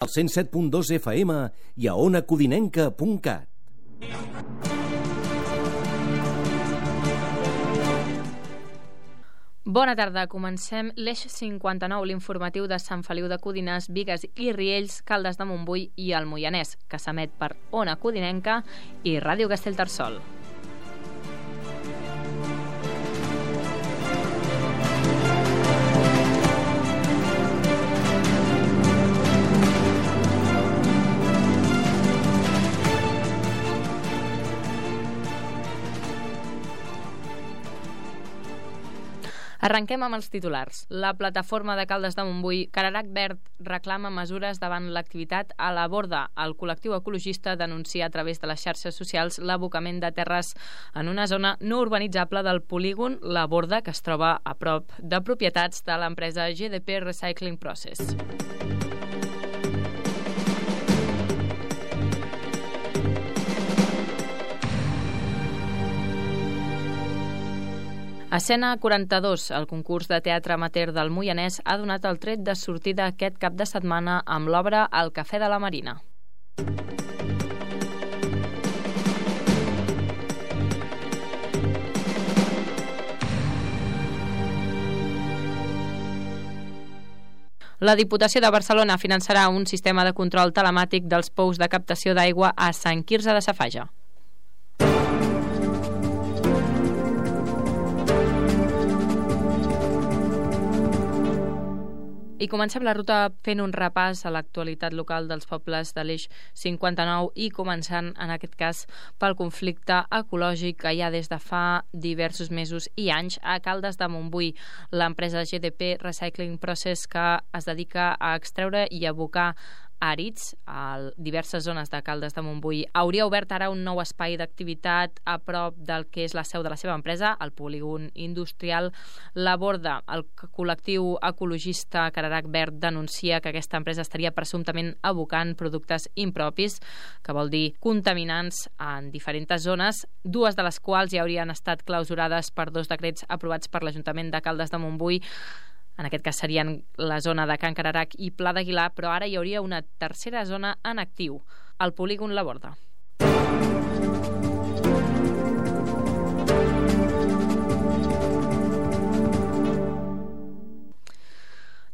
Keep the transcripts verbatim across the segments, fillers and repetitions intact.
al cent set punt dos F M i a ona codinenca punt cat. Bona tarda, comencem l'Eix cinquanta-nou, l'informatiu de Sant Feliu de Codines, Bigues i Riells, Caldes de Montbui i el Moianès, que s'emet per Ona Codinenca i Ràdio Castellterçol. Arrenquem amb els titulars. La plataforma de Caldes de Montbui, Cararac Verd, reclama mesures davant l'activitat a la Borda. El col·lectiu ecologista denuncia a través de les xarxes socials l'abocament de terres en una zona no urbanitzable del polígon La Borda, que es troba a prop de propietats de l'empresa G D P Recycling Process. Escena quaranta-dos, el concurs de teatre amateur del Moianès, ha donat el tret de sortida aquest cap de setmana amb l'obra El Cafè de la Marina. La Diputació de Barcelona finançarà un sistema de control telemàtic dels pous de captació d'aigua a Sant Quirze de Safaja. I comencem la ruta fent un repàs a l'actualitat local dels pobles de l'Eix cinquanta-nou i començant, en aquest cas, pel conflicte ecològic que hi ha des de fa diversos mesos i anys a Caldes de Montbui. L'empresa G D P Recycling Process, que es dedica a extreure i abocar àrids a diverses zones de Caldes de Montbui, hauria obert ara un nou espai d'activitat a prop del que és la seu de la seva empresa, el polígon industrial La Borda. El col·lectiu ecologista Cararac Verd denuncia que aquesta empresa estaria presumptament abocant productes impropis, que vol dir contaminants, en diferents zones, dues de les quals ja haurien estat clausurades per dos decrets aprovats per l'Ajuntament de Caldes de Montbui. En aquest cas serien la zona de Can Cararac i Pla d'Aguilar, però ara hi hauria una tercera zona en actiu, el polígon La Borda.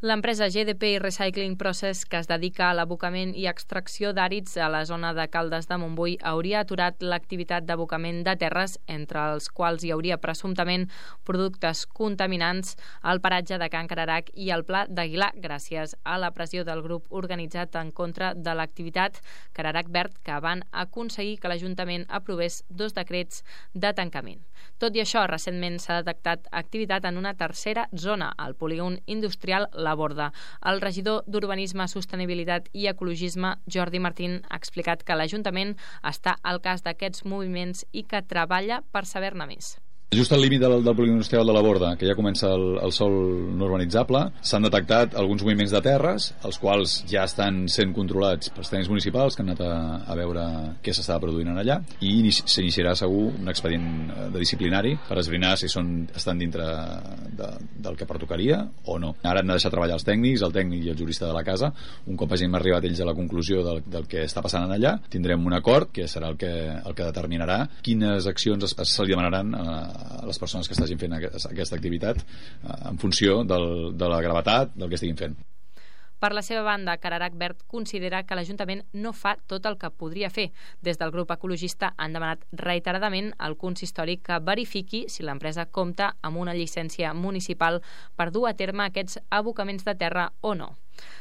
L'empresa G D P Recycling Process, que es dedica a l'abocament i extracció d'àrids a la zona de Caldes de Montbui, hauria aturat l'activitat d'abocament de terres, entre els quals hi hauria presumptament productes contaminants al paratge de Can Cararac i al Pla d'Aguilar, gràcies a la pressió del grup organitzat en contra de l'activitat Cararac Verd, que van aconseguir que l'Ajuntament aprovés dos decrets de tancament. Tot i això, recentment s'ha detectat activitat en una tercera zona, el polígon industrial La Borda. El regidor d'Urbanisme, Sostenibilitat i Ecologisme, Jordi Martín, ha explicat que l'Ajuntament està al cas d'aquests moviments i que treballa per saber-ne més. Just al límit del, del polígon industrial de La Borda, que ja comença el, el sòl no urbanitzable, s'han detectat alguns moviments de terres, els quals ja estan sent controlats pels tècnics municipals, que han anat a, a veure què s'estava produint en allà, i s'iniciarà segur un expedient de disciplinari per esbrinar si són, estan dintre de, del que pertocaria o no. Ara han de deixar treballar els tècnics, el tècnic i el jurista de la casa. Un cop hagin arribat ells a la conclusió del, del que està passant en allà, tindrem un acord que serà el que, el que determinarà quines accions es, se li demanaran a a les persones que estiguin fent aquesta activitat en funció del, de la gravetat del que estiguin fent. Per la seva banda, Cararac Verd considera que l'Ajuntament no fa tot el que podria fer. Des del grup ecologista han demanat reiteradament al consistori que verifiqui si l'empresa compta amb una llicència municipal per dur a terme aquests abocaments de terra o no.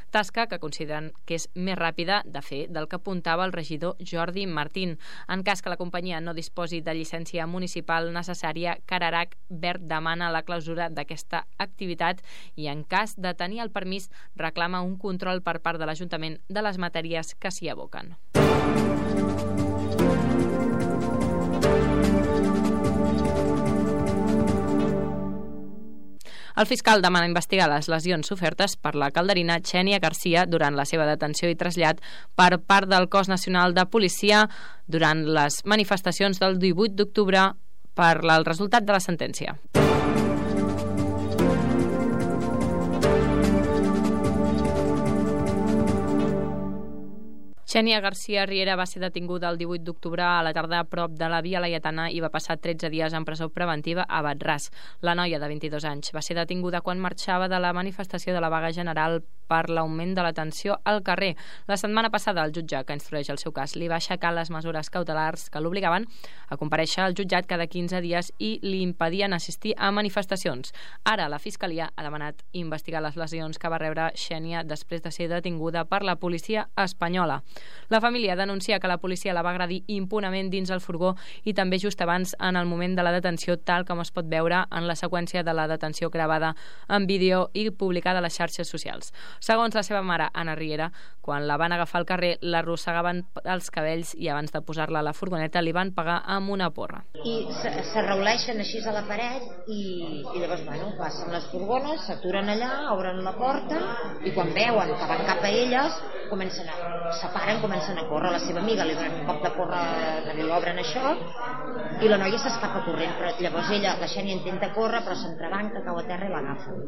Tasca que consideren que és més ràpida de fer del que apuntava el regidor Jordi Martín. En cas que la companyia no disposi de llicència municipal necessària, Cararac Verd demana la clausura d'aquesta activitat i, en cas de tenir el permís, reclama un control per part de l'Ajuntament de les matèries que s'hi aboquen. El fiscal demana investigar les lesions sofertes per la calderina Xènia Garcia durant la seva detenció i trasllat per part del Cos Nacional de Policia durant les manifestacions del divuit d'octubre per el resultat de la sentència. Xènia García Riera va ser detinguda el divuit d'octubre a la tarda a prop de la Via Laietana i va passar tretze dies en presó preventiva a Batràs. La noia de vint-i-dos anys va ser detinguda quan marxava de la manifestació de la vaga general per l'augment de la tensió al carrer. La setmana passada el jutge que instrueix el seu cas li va aixecar les mesures cautelars que l'obligaven a comparèixer al jutjat cada quinze dies i li impedien assistir a manifestacions. Ara la Fiscalia ha demanat investigar les lesions que va rebre Xènia després de ser detinguda per la policia espanyola. La família denuncia que la policia la va agredir impunement dins el furgó i també just abans en el moment de la detenció, tal com es pot veure en la seqüència de la detenció gravada en vídeo i publicada a les xarxes socials. Segons la seva mare, Anna Riera, quan la van agafar al carrer, l'arrossegaven els cabells i abans de posar-la a la furgoneta li van pegar amb una porra. I s'arrauleixen així a la paret i, i llavors, bueno, passen les furgones, s'aturen allà, obren la porta i quan veuen que van cap a elles, comencen a separen, comencen a córrer. La seva amiga li donen un cop de porra, li obren això i la noia s'escapa corrent, però llavors ella, la Xènia intenta córrer però s'entrebanca, cau a terra i l'agafen.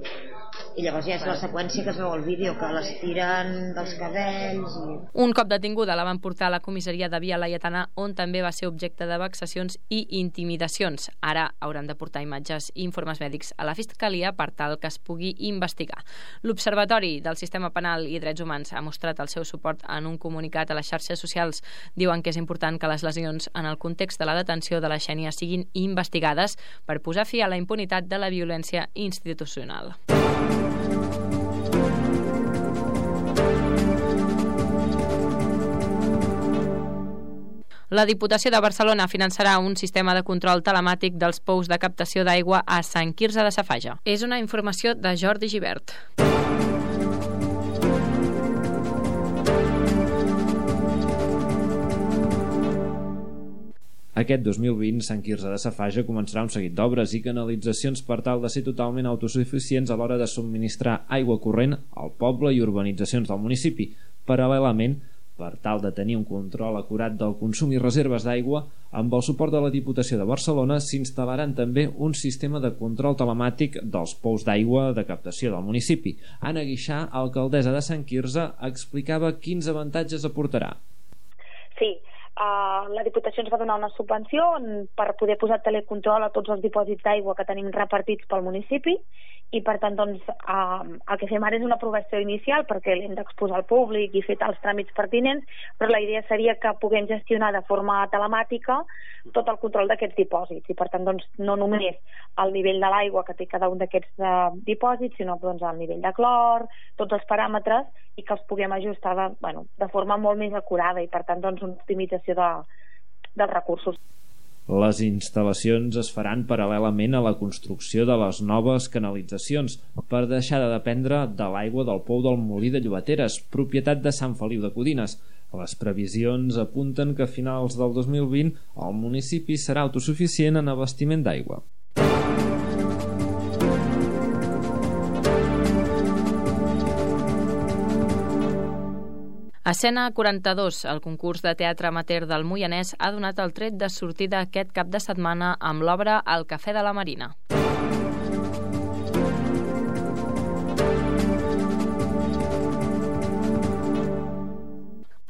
I llavors ja és la seqüència que es veu al vídeo, que les tiren dels cabells i... Un cop detinguda la van portar a la comissaria de Via Laietana, on també va ser objecte de vexacions i intimidacions. Ara hauran de portar imatges i informes mèdics a la Fiscalia per tal que es pugui investigar. L'Observatori del Sistema Penal i Drets Humans ha mostrat el seu suport en un comunicat a les xarxes socials. Diuen que és important que les lesions en el context de la detenció de la Xènia siguin investigades per posar fi a la impunitat de la violència institucional. La Diputació de Barcelona finançarà un sistema de control telemàtic dels pous de captació d'aigua a Sant Quirze de Safaja. És una informació de Jordi Gibert. Aquest dos mil vint, Sant Quirze de Safaja començarà un seguit d'obres i canalitzacions per tal de ser totalment autosuficients a l'hora de subministrar aigua corrent al poble i urbanitzacions del municipi. Paral·lelament, per tal de tenir un control acurat del consum i reserves d'aigua, amb el suport de la Diputació de Barcelona s'instal·laran també un sistema de control telemàtic dels pous d'aigua de captació del municipi. Anna Guixà, alcaldessa de Sant Quirze, explicava quins avantatges aportarà. Sí, uh, la Diputació ens va donar una subvenció per poder posar telecontrol a tots els dipòsits d'aigua que tenim repartits pel municipi i per tant doncs, uh, el que fem ara és una aprovació inicial perquè l'hem d'exposar al públic i fer els tràmits pertinents, però la idea seria que puguem gestionar de forma telemàtica tot el control d'aquests dipòsits i per tant doncs, no només el nivell de l'aigua que té cada un d'aquests uh, dipòsits, sinó doncs, el nivell de clor, tots els paràmetres i que els puguem ajustar de, bueno, de forma molt més acurada i per tant doncs, una optimització de, dels recursos. Les instal·lacions es faran paral·lelament a la construcció de les noves canalitzacions per deixar de dependre de l'aigua del pou del Molí de Llobateres, propietat de Sant Feliu de Codines. Les previsions apunten que a finals del dos mil vint el municipi serà autosuficient en abastiment d'aigua. Escena quaranta-dos, el concurs de teatre amateur del Moianès, ha donat el tret de sortida aquest cap de setmana amb l'obra El cafè de la Marina.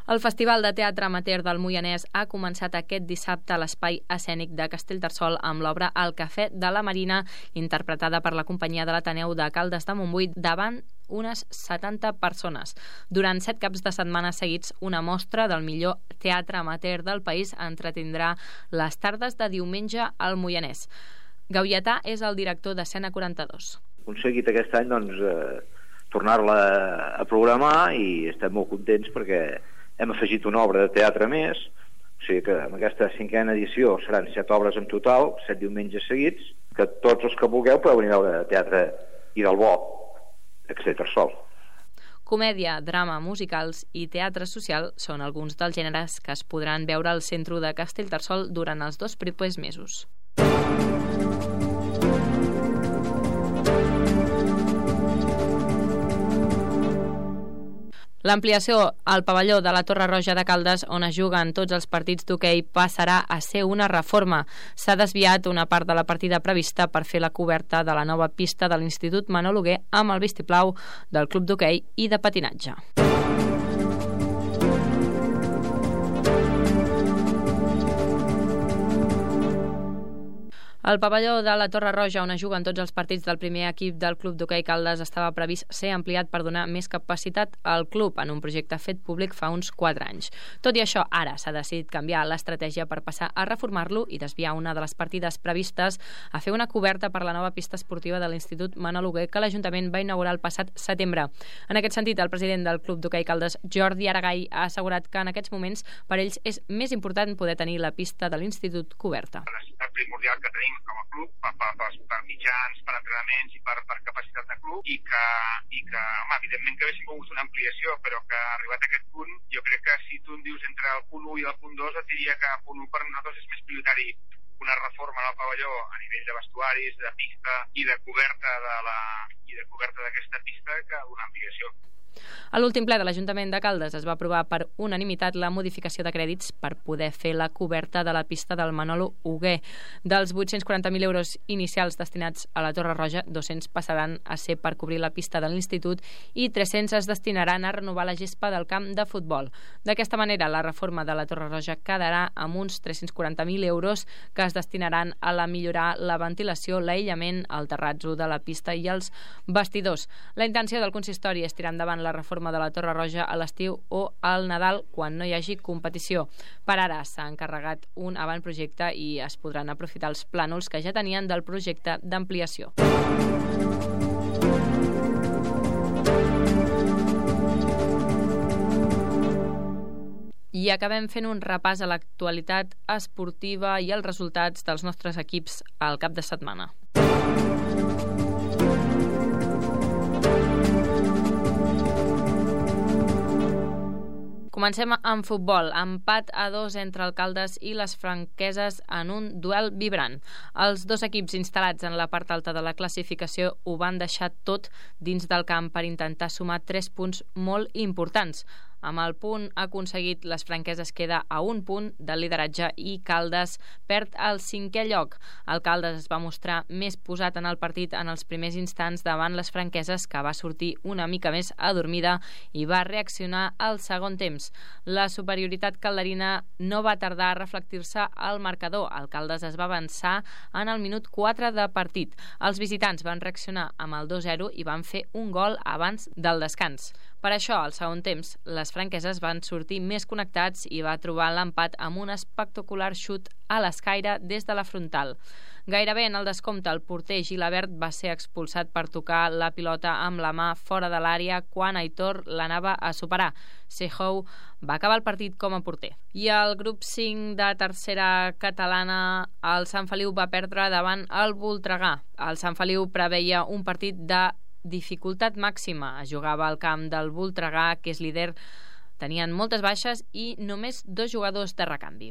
El Festival de Teatre Amateur del Moianès ha començat aquest dissabte a l'Espai Escènic de Castellterçol amb l'obra El cafè de la Marina, interpretada per la companyia de l'Ateneu de Caldes de Montbui davant unes setanta persones. Durant set caps de setmana seguits, una mostra del millor teatre amateur del país entretindrà les tardes de diumenge al Moianès. Gauietà és el director d'Escena quaranta-dos. Aconseguit aquest any doncs, eh, tornar-la a programar i estem molt contents perquè hem afegit una obra de teatre més, o sigui que en aquesta cinquena edició seran set obres en total, set diumenges seguits, que tots els que vulgueu podeu venir a veure teatre i del bo, Castellterçol. Comèdia, drama, musicals i teatre social són alguns dels gèneres que es podran veure al centre de Castellterçol durant els dos propers mesos. L'ampliació al pavelló de la Torre Roja de Caldes, on es juguen tots els partits d'hoquei, passarà a ser una reforma. S'ha desviat una part de la partida prevista per fer la coberta de la nova pista de l'Institut Manol Hugué amb el vistiplau del Club d'Hoquei i de Patinatge. El pavelló de la Torre Roja, on es juguen tots els partits del primer equip del Club d'Hoquei Caldes, estava previst ser ampliat per donar més capacitat al club en un projecte fet públic fa uns quatre anys. Tot i això, ara s'ha decidit canviar l'estratègia per passar a reformar-lo i desviar una de les partides previstes a fer una coberta per la nova pista esportiva de l'Institut Manol Hugué que l'Ajuntament va inaugurar el passat setembre. En aquest sentit, el president del Club d'Hoquei Caldes, Jordi Aragai, ha assegurat que en aquests moments per ells és més important poder tenir la pista de l'Institut coberta. La necessitat primordial que tenim com a club per, per, per, per mitjans, per entrenaments i per, per capacitat de club i que, i que home, evidentment que haguéssim volgut una ampliació, però que arribat a aquest punt, jo crec que si tu em dius entre el punt u i el punt dos, et diria que el punt u per nosaltres és més prioritari una reforma del pavelló a nivell de vestuaris, de pista i de coberta de la i de coberta d'aquesta pista que una ampliació. A l'últim ple de l'Ajuntament de Caldes es va aprovar per unanimitat la modificació de crèdits per poder fer la coberta de la pista del Manolo Hugué. Dels vuit-cents quaranta mil euros inicials destinats a la Torre Roja, dos-cents passaran a ser per cobrir la pista de l'Institut i tres-cents es destinaran a renovar la gespa del camp de futbol. D'aquesta manera, la reforma de la Torre Roja quedarà amb uns tres-cents quaranta mil euros que es destinaran a la millorar la ventilació, l'aïllament, el terrazzo de la pista i els vestidors. La intenció del consistori és tirar endavant la reforma de la Torre Roja a l'estiu o al Nadal quan no hi hagi competició. Per ara s'ha encarregat un avantprojecte i es podran aprofitar els plànols que ja tenien del projecte d'ampliació. I acabem fent un repàs a l'actualitat esportiva i els resultats dels nostres equips al cap de setmana. Comencem amb futbol. Empat a dos entre el Caldes i les Franqueses en un duel vibrant. Els dos equips instal·lats en la part alta de la classificació ho van deixar tot dins del camp per intentar sumar tres punts molt importants. Amb el punt aconseguit, les Franqueses queda a un punt del lideratge i Caldes perd el cinquè lloc. El Caldes es va mostrar més posat en el partit en els primers instants davant les Franqueses, que va sortir una mica més adormida i va reaccionar al segon temps. La superioritat calderina no va tardar a reflectir-se al marcador. El Caldes es va avançar en el minut quatre de partit. Els visitants van reaccionar amb el dos zero i van fer un gol abans del descans. Per això, al segon temps, les franqueses van sortir més connectats i va trobar l'empat amb un espectacular xut a l'escaire des de la frontal. Gairebé en el descompte, el porter Gilabert va ser expulsat per tocar la pilota amb la mà fora de l'àrea quan Aitor l'anava a superar. Sejou va acabar el partit com a porter. I al grup cinc de tercera catalana, el Sant Feliu va perdre davant el Voltregà. El Sant Feliu preveia un partit de dificultat màxima. Es jugava al camp del Voltregà, que és líder. Tenien moltes baixes i només dos jugadors de recanvi.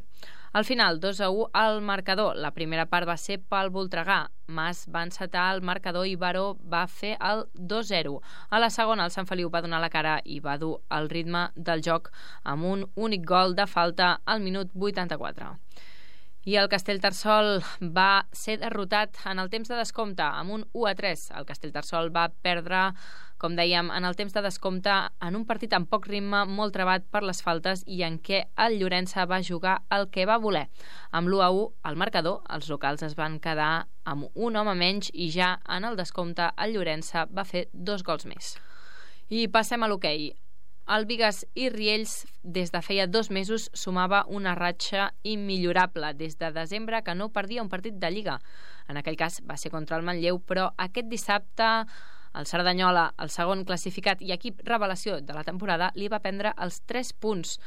Al final, dos a u al marcador. La primera part va ser pel Voltregà. Mas va encetar el marcador i Baró va fer el dos zero. A la segona, el Sant Feliu va donar la cara i va dur el ritme del joc amb un únic gol de falta al minut vuitanta-quatre. I el Castellterçol va ser derrotat en el temps de descompte amb un u a tres. El Castellterçol va perdre, com dèiem, en el temps de descompte en un partit amb poc ritme, molt trebat per les faltes i en què el Llorença va jugar el que va voler. Amb l'u a u al marcador, els locals es van quedar amb un home menys i ja en el descompte el Llorença va fer dos gols més. I passem a l'hoquei. El Bigues i Riells, des de feia dos mesos, sumava una ratxa immillorable des de desembre que no perdia un partit de Lliga. En aquell cas va ser contra el Manlleu, però aquest dissabte el Cerdanyola, el segon classificat i equip revelació de la temporada, li va prendre els tres punts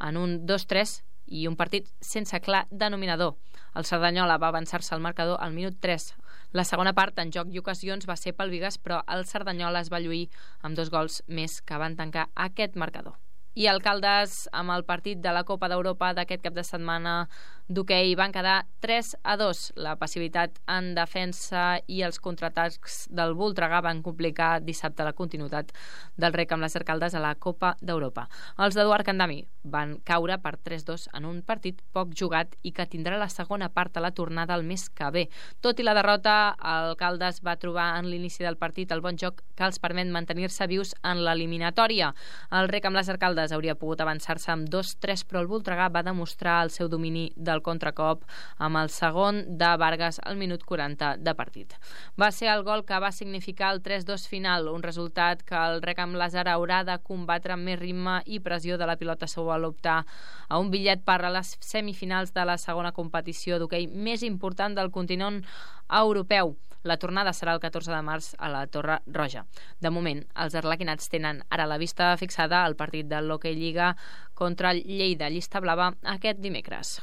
en un dos tres i un partit sense clar denominador. El Cerdanyola va avançar-se al marcador al minut tres. La segona part, en joc i ocasions, va ser pel Bigues, però el Cerdanyola es va lluir amb dos gols més que van tancar aquest marcador. I el Caldes, amb el partit de la Copa d'Europa d'aquest cap de setmana d'hoquei, van quedar tres a dos. La passivitat en defensa i els contraatacs del Voltregà van complicar dissabte la continuïtat del rec amb les Caldes a la Copa d'Europa. Els d'Eduard Candami van caure per tres dos en un partit poc jugat i que tindrà la segona part a la tornada el mes que ve. Tot i la derrota, el Caldes va trobar en l'inici del partit el bon joc que els permet mantenir-se vius en l'eliminatòria. El rec amb les Caldes vegades hauria pogut avançar-se amb dos tres, però el Voltregà va demostrar el seu domini del contracop amb el segon de Vargas al minut quaranta de partit. Va ser el gol que va significar el tres dos final, un resultat que el Recam Lázaro haurà de combatre amb més ritme i pressió de la pilota seu a l'optar a un bitllet per a les semifinals de la segona competició d'hoquei més important del continent europeu. La tornada serà el catorze de març a la Torre Roja. De moment, els arlequinats tenen ara la vista fixada al partit de l'Hockey Lliga contra el Lleida Llista Blava aquest dimecres.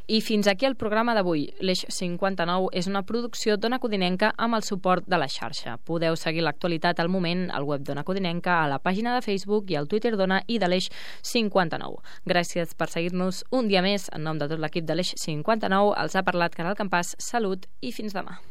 I fins aquí el programa d'avui. L'Eix cinquanta-nou és una producció d'Ona Codinenca amb el suport de la xarxa. Podeu seguir l'actualitat al moment al web d'Ona Codinenca, a la pàgina de Facebook i al Twitter d'Ona i de l'Eix cinquanta-nou. Gràcies per seguir-nos un dia més. En nom de tot l'equip de l'Eix cinquanta-nou els ha parlat Caral Campàs. Salut i fins demà.